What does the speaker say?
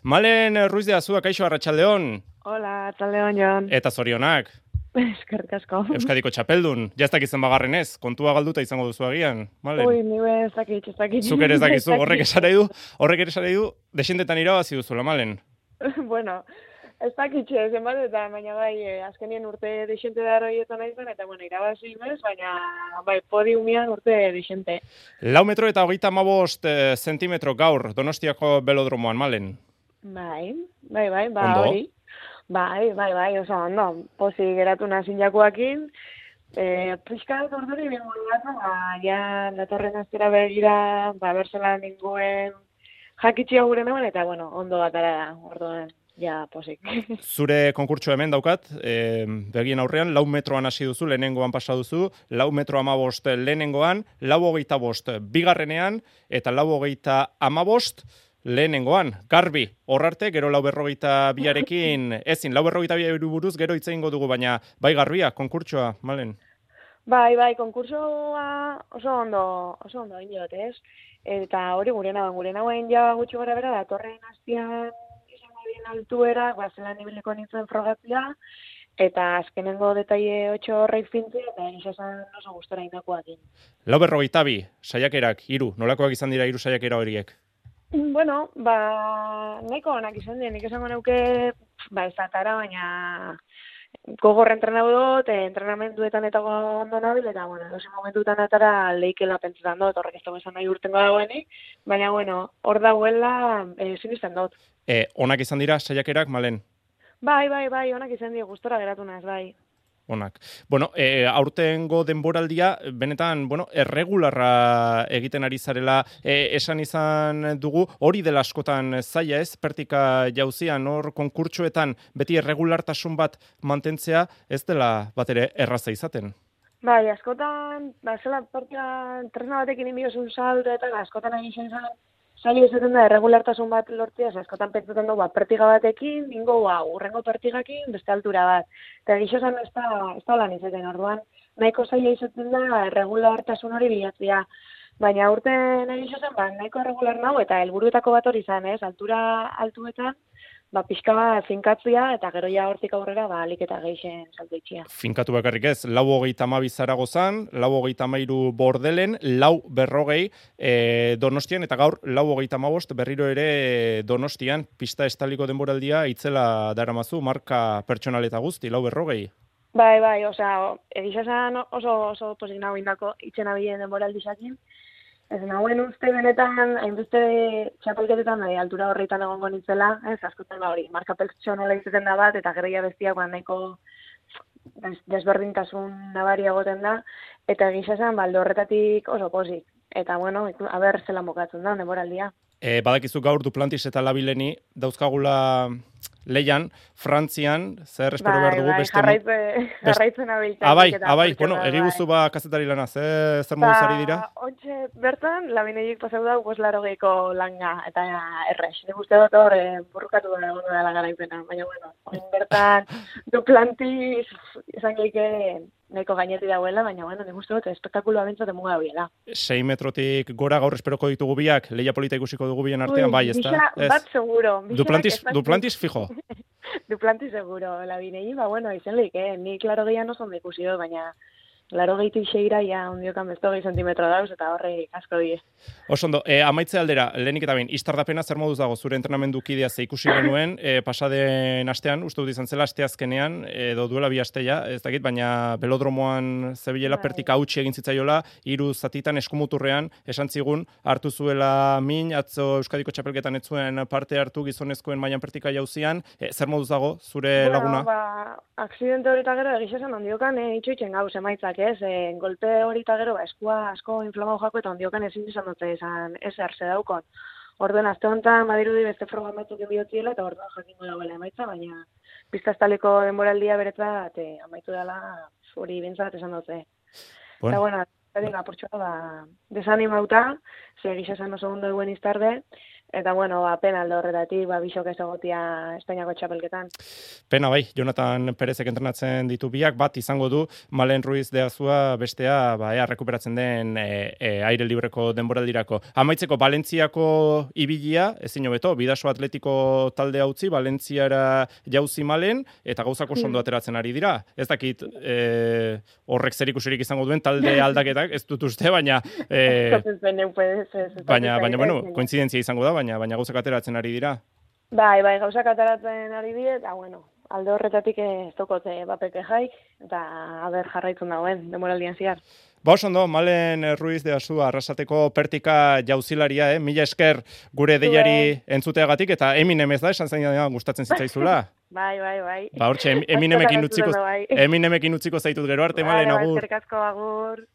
Malen Ruiz de Azua, kaixo, arratsaldeon. Hola, arratsaldeon, Jon. Eta zorionak. Eskerrik asko. Euskadiko txapeldun. Jaztak izan bagarren ez, kontua galduta izango duzu agian. Malen. Ui, ni ez dakit. Zuk ere ez dakizu, horrek esan nahi du, desentetan irabazi duzula, Malen. Bueno, ez dakit zenbat eta baina bai, azkenien urte desente da horietan naizan, eta bueno, irabazi bez, baina bai, podiumian urte desente. 4 metro eta 35 zentimetro gaur, Donostiako belodromoan, Malen. Bai, ba Ondo. hori. Bai, oso ondo. Pozik geratu nazin jakoakin. Piskat orduri bingun gatu, ja datorren aztera begira, berzela ninguen jakitxia gure neuen, eta bueno, ondo batara da, orduan, ja, posik. Zure konkurtso hemen daukat, begien aurrean, 4 metroan hasi duzu, lehenengoan pasa duzu, 4 metro 15 lehenengoan, 4:25 bigarrenean, eta 4:15 lehenengoan, garbi, horrarte, gero 4:42arekin, ezin, 4:42 buruz gero hitz egingo dugu, baina bai garbia, konkurtsoa, Malen? Bai, konkursoa oso ondo inot, ez? Eta hori gure nauen ja gutxi gora bera, datorren hastian izango dien altuera, zelan nibileko nintzen frogatzea, eta azkenengo detaile 8 horreik fintzea, eta esan oso gustora indakoakin. 4:42, saiakerak, 3, nolakoak izan dira 3 saiakera horiek? Bueno, nahiko onak izan dien, nik esango neuke, ez atara, baina gogor entrenatu dut, entrenamenduetan eta ondo nabil, eta bueno, dosi momentutan atara leikela pentsetan dut, horrek ez dugu esan nahi urtengo dagoenik, baina bueno, hor dagoela sinisten dut. Onak izan dira saiakerak, Malen? Bai, onak izan dira, gustora geratu naz, bai. Onak. Bueno, aurtengo denboraldia, benetan, erregularra egiten ari zarela, esan izan dugu, hori dela askotan zaila ez, pertika jauzian, hor konkurtsoetan, beti erregulartasun bat mantentzea, ez dela bat ere erraza izaten. Bai, askotan, zela pertika tresna batekin inbiozun saldo, eta askotan egin zen, zaila izaten da, erregulartasun bat lortzea, askotan pentsatzen du, pertiga batekin, ningo, urrengo pertigakin, beste altura bat. Eta gixosan ez da lan izaten, orduan, nahiko zaila izaten da, erregulartasun hori bilatzea. Baina urten egixosan, nahiko erregular nahu, eta helburuetako bat hori izan, ez? Altura altuetan, pixka bat finkatzea, eta gero ja hortik aurrera, alik eta geixen salto itxia. Finkatu bakarrik ez, 4:32 Zaragozan, 4:33 Bordelen, 4:40 Donostian, eta gaur 4:15 berriro ere Donostian, pista estaliko denboraldia itzela daramazu, marka pertsonal eta guzti, 4:40. Bai, osea, egizazan oso posik nago indako itxen abilen denboraldizakin. Ez nahuen uste benetan, hainbeste txapelketetan altura horreitan egongo nintzela, ez askotan hori, marka pertsonola izaten da bat, eta gero bestiak nahiko desberdintasun nabaria egoten da, eta egizazan baldo horretatik oso posik. Eta bueno, aber zelan bokatzen da, denboraldia. Badakizu gaur Duplantis eta Labileni dauzkagula leian, Frantzian, zer espero behar dugu beste... Jarraitzen abiltzen. Bai, bueno, egiguzu kazetari lana, zer moduz ari dira? Ontxe, bertan, Labineik pasau da, 80 langa, eta errex. Nik uste dut hor, burrukatu da la garaipena, baina bueno, bertan Duplantis izan geike nahiko gainetik dauela, baina bueno, nik uste dut espektakuloa bintzat emuga dauela. 6 metrotik gora gaur esperoko ditugu biak, leia polita ikusiko dugu bien artean, bai, ez da? Bat seguro. Duplantis fijo. Duplantis seguro, Labinei, bueno, izen leik, nik laro gehian oso ondo ikusi dut, baina laro gehitik seira, ja, ondiokan besto 20 zentimetro dauz, eta horre asko die. Osondo, amaitze aldera, lehenik eta behin, iztardapena zer moduz dago, zure entrenamendu kidea ze ikusi genuen, pasaden astean, uste dut izan zela, asteazkenean, edo duela bi asteia, ez dakit, baina belodromoan zebilela pertika hautsi egin zitzaiola, 3 zatitan eskumuturrean, esan zigun, hartu zuela min, atzo Euskadiko txapelketan ez zuen parte hartu gizonezkoen mailan pertika jauzian, zer moduz dago, zure laguna? Aksidente hori eta gero egizazan ondiokan itxoitzen gauz emaitzak, ez? Golpe hori eta gero, eskua asko inflamau jako eta ondiokan ezin izan dute esan eserze daukon. Orduan, azte honetan, badirudi beste frogan batzuk enbiotziela eta orduan jakingo dagoela emaitza, baina pista estaleko denboraldia beretzat amaitu dela hori bintzat esan dute. Eta bueno, apurtxoa desanimauta, ze egizazan oso ondo eguen iztarde, Eta, bueno, pena alde horretatik, bisok ez egotia Espainiako txapelketan. Pena bai, Jonathan Perezek entrenatzen ditu biak, bat izango du Malen Ruiz de Azua bestea, ea rekuperatzen den aire libreko denboraldirako. Amaitzeko Valentziako ibilia, ezin hobeto, Bidaso Atletiko taldea utzi, Valentziara jauzi Malen, eta gauzako ondo ateratzen ari dira. Ez dakit horrek zerikusirik izango duen talde aldaketak, ez dut uste, baina bueno, kointzidentzia izango da, baina gauzak ateratzen ari dira. Bai, gauzak ateratzen ari dira, eta bueno, alde horretatik ez dokote bapeke jaik, eta aber jarraitzen dauen, demoraldian ziar. Ondo, Malen Ruiz de Azua arrasateko pertika jauzilaria, mila esker gure deiari entzuteagatik, eta Eminem ez da, esan zain gustatzen zitzaizula. Bai. Hortxe, Eminemekin utziko zaitut gero arte, Malen, agur. Eskerrik asko, agur.